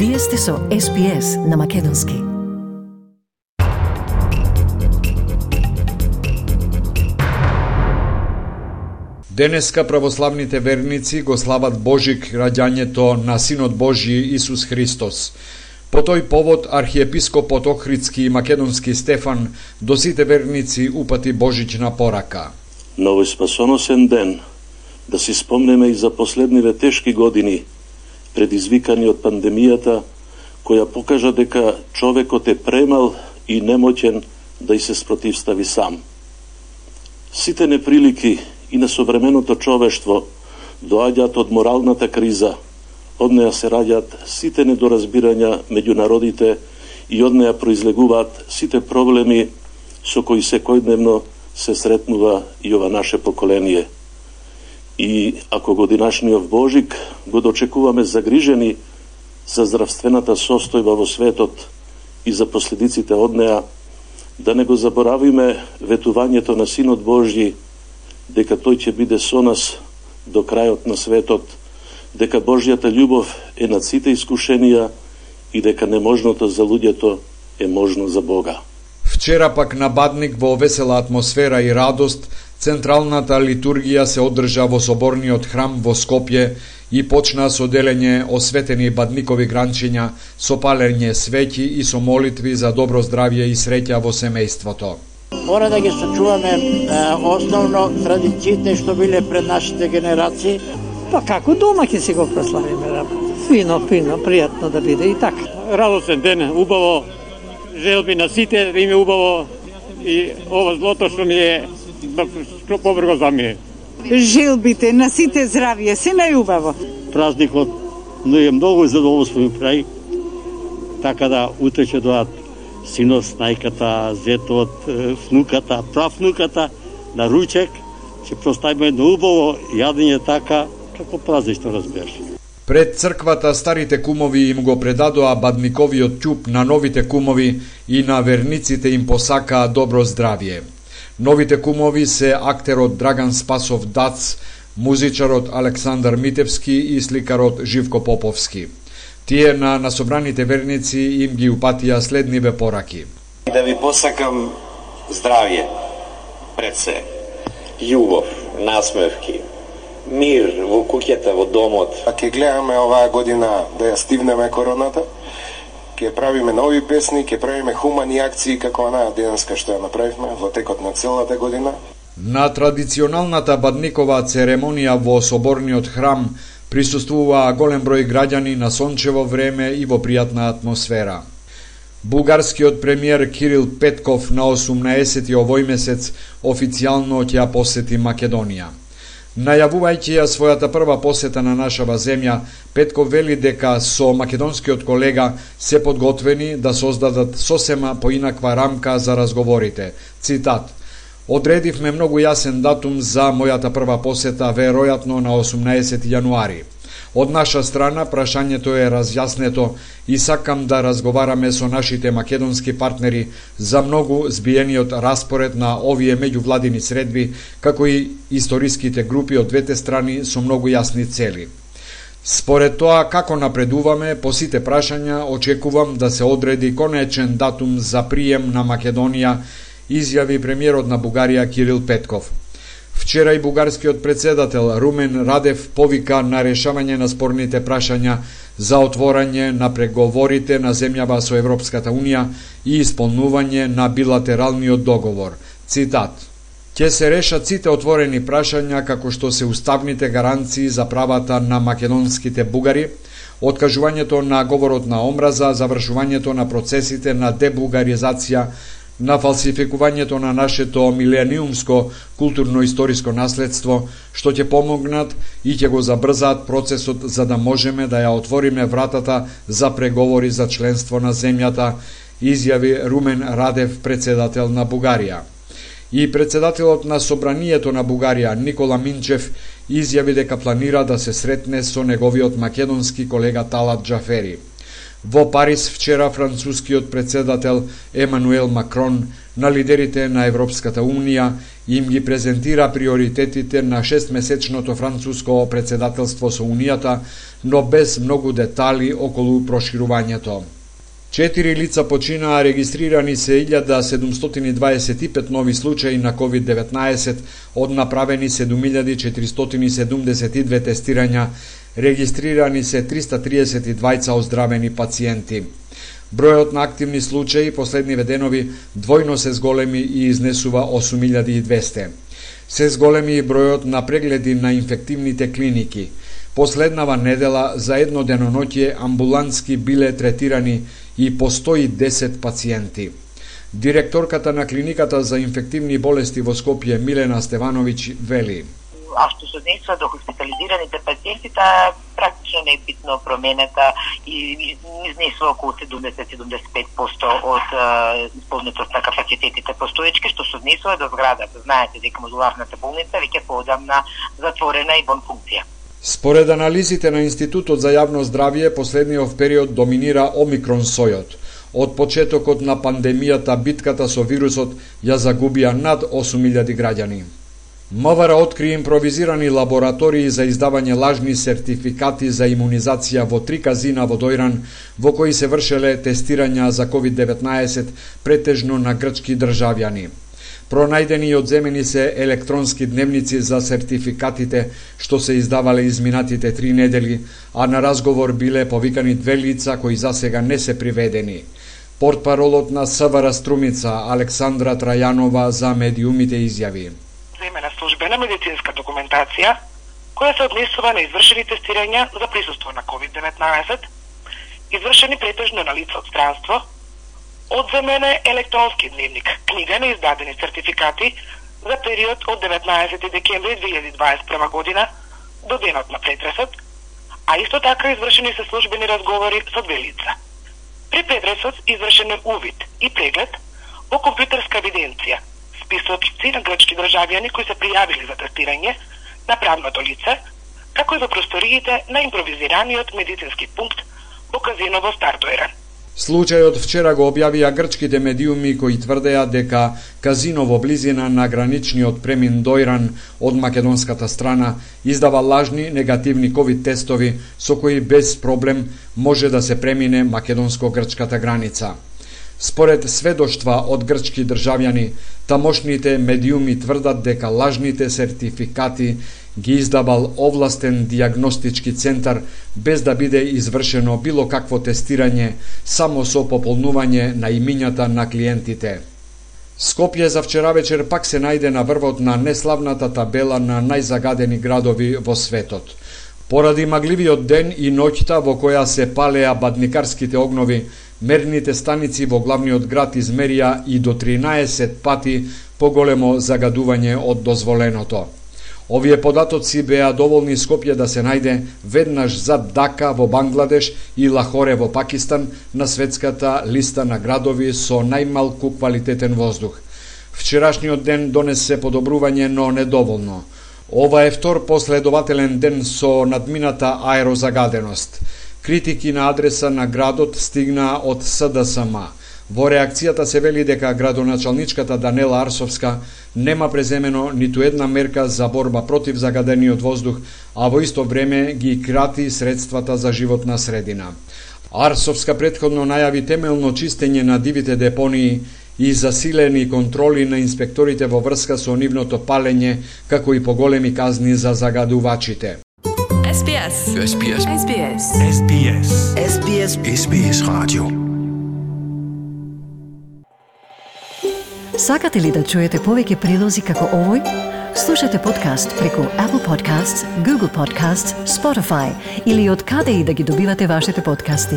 Вие сте со SPS на Македонски. Денеска православните верници го слават Божик раѓањето на Синот Божји Исус Христос. По тој повод архиепископот Охридски и Македонски Стефан до сите верници упати божична порака. На овој спасоносен ден да си спомнеме и за последниве тешки години, предизвикани од пандемијата, која покажа дека човекот е премал и немоќен да и се спротивстави сам. Сите неприлики и на современото човештво доаѓаат од моралната криза, од неа се раѓаат сите недоразбирања меѓу народите и од неа произлегуваат сите проблеми со кои секојдневно се сретнува и ова наше поколение. И ако годинашниот Божик го дочекуваме загрижени за здравствената состојба во светот и за последиците од неа, да не го заборавиме ветувањето на Синот Божји, дека тој ќе биде со нас до крајот на светот, дека Божјата љубов е над сите искушенија и дека неможното за луѓето е можно за Бога. Вчера пак на Бадник во весела атмосфера и радост, централната литургија се одржа во соборниот храм во Скопје и почна со делење осветени бадникови гранчиња, со палење свеќи и со молитви за добро здравје и среќа во семејството. Мора да ги сочуваме основно традициите што биле пред нашите генерации. Па како дома ќе си го прославиме? Фино, пријатно да биде и така. Радосен ден, убаво, желби на сите да име убаво и ова злото што ми е побрго за мене. Желбите на сите здравје, се најубаво. Празникот е многу задоволство ми прави, така да утре ќе доаат синот, снајката, зетот, внуката, правнуката на ручек, ќе проставиме едно убаво јадење така, како празнично разбираш. Пред црквата старите кумови им го предадоа бадниковиот ќуп на новите кумови и на верниците им посакаа добро здравје. Новите кумови се актерот Драган Спасов Дац, музичарот Александар Митевски и сликарот Живко Поповски. Тие на собраните верници им ги упатија следниве пораки. Да ви посакам здравје, пред се, љубов, насмевки, мир во куќата, во домот. Ќе гледаме оваа година да ја стивнеме короната, ќе правиме нови песни, ќе правиме хумани акции како онаа денеска што ја направивме во текот на целата година. На традиционалната бадникова церемонија во соборниот храм присуствуваа голем број граѓани на сончево време и во пријатна атмосфера. Бугарскиот премиер Кирил Петков на 18 овој месец официјално ќе ја посети Македонија. Најавувајќи ја својата прва посета на нашава земја, Петков вели дека со македонскиот колега се подготвени да создадат сосема поинаква рамка за разговорите. Цитат: "Одредивме многу јасен датум за мојата прва посета, веројатно на 18 јануари. Од наша страна прашањето е разјаснето и сакам да разговараме со нашите македонски партнери за многу збиениот распоред на овие меѓувладини средби, како и историските групи од двете страни со многу јасни цели. Според тоа како напредуваме по сите прашања, очекувам да се одреди конечен датум за прием на Македонија", изјави премиерот на Бугарија Кирил Петков. Вчера и бугарскиот председател Румен Радев повика на решавање на спорните прашања за отворање на преговорите на земјава со Европската Унија и исполнување на билатералниот договор. Цитат: "Ќе се решат сите отворени прашања како што се уставните гаранции за правата на македонските бугари, откажувањето на говорот на омраза, завршувањето на процесите на дебугаризација, на фалсификувањето на нашето милениумско културно-историско наследство, што ќе помогнат и ќе го забрзаат процесот за да можеме да ја отвориме вратата за преговори за членство на земјата", изјави Румен Радев, председател на Бугарија. И председателот на Собранието на Бугарија Никола Минчев изјави дека планира да се сретне со неговиот македонски колега Талат Џафери. Во Париз вчера францускиот председател Емануел Макрон на лидерите на Европската Унија им ги презентира приоритетите на 6-месечното француско председателство со Унијата, но без многу детали околу проширувањето. 4 лица починаа, регистрирани се 1725 нови случаи на COVID-19, од направени 7472 тестирања, регистрирани се 332 оздравени пациенти. Бројот на активни случаи последниве денови двојно се зголеми и изнесува 8200. Се зголеми и бројот на прегледи на инфективните клиники. Последнава недела за едно деноноќе амбулантски биле третирани и по 110 пациенти. Директорката на клиниката за инфективни болести во Скопје Милена Стевановиќ вели: А што се однесува до хоспитализираните пациенти, таа практично не е битно променета и изнесува околу 70-75% од исполнетост на капацитетите постоечки, што се однесува до зградата. Знаете дека модуларната болница веќе поодамна затворена и бон функција. Според анализите на Институтот за јавно здравје, последниот период доминира омикрон сојот. Од почетокот на пандемијата битката со вирусот ја загубија над 8000 граѓани. МВР откри импровизирани лаборатории за издавање лажни сертификати за имунизација во 3 казина во Дојран, во кои се вршеле тестирања за COVID-19 претежно на грчки државјани. Пронајдени и одземени се електронски дневници за сертификатите што се издавале изминатите 3 недели, а на разговор биле повикани 2 лица кои засега не се приведени. Портпаролот на СВР Струмица Александра Трајанова за медиумите изјави: Земена службена медицинска документација која се однесува на извршени тестирања за присуство на COVID-19, извршени претежно на лица од странство, одземен е електронски дневник, книга на издадени сертификати за период од 19 декември 2021 година до денот на претресот, а исто така извршени се службени разговори со 2 лица. При претресот извршен е увид и преглед во компјутерска евиденција, списоци на грчки државјани кои се пријавили за тестирање на правното лице, како и во просториите на импровизираниот медицински пункт во казиново Стар Дојран. Случајот вчера го објавија грчките медиуми кои тврдеа дека казино во близина на граничниот премин Дојран од македонската страна издава лажни негативни ковид тестови со кои без проблем може да се премине македонско-грчката граница. Според сведоштва од грчки државјани, тамошните медиуми тврдат дека лажните сертификати ги издавал овластен дијагностички центар без да биде извршено било какво тестирање, само со пополнување на имињата на клиентите. Скопје за вчера вечер пак се најде на врвот на неславната табела на најзагадени градови во светот. Поради магливиот ден и ноќта во која се палеа бадникарските огнови, мерните станици во главниот град измерија и до 13 пати поголемо загадување од дозволеното. Овие податоци беа доволни Скопје да се најде веднаш зад Дака во Бангладеш и Лахоре во Пакистан на светската листа на градови со најмалку квалитетен воздух. Вчерашниот ден донесе подобрување, но недоволно. Ова е втор последователен ден со надмината аерозагаденост. Критики на адреса на градот стигнаа од СДСМ. Во реакцијата се вели дека градоначалничката Данела Арсовска нема преземено ниту една мерка за борба против загадениот воздух, а во исто време ги крати средствата за животна средина. Арсовска претходно најави темелно чистење на дивите депонии и засилени контроли на инспекторите во врска со нивното палење, како и поголеми казни за загадувачите. SBS. SBS. SBS. SBS. SBS. SBS Radio. Сакате ли да чуете повеќе прилози како овој? Слушате подкаст преку Apple Podcasts, Google Podcasts, Spotify или од каде и да ги добивате вашите подкасти.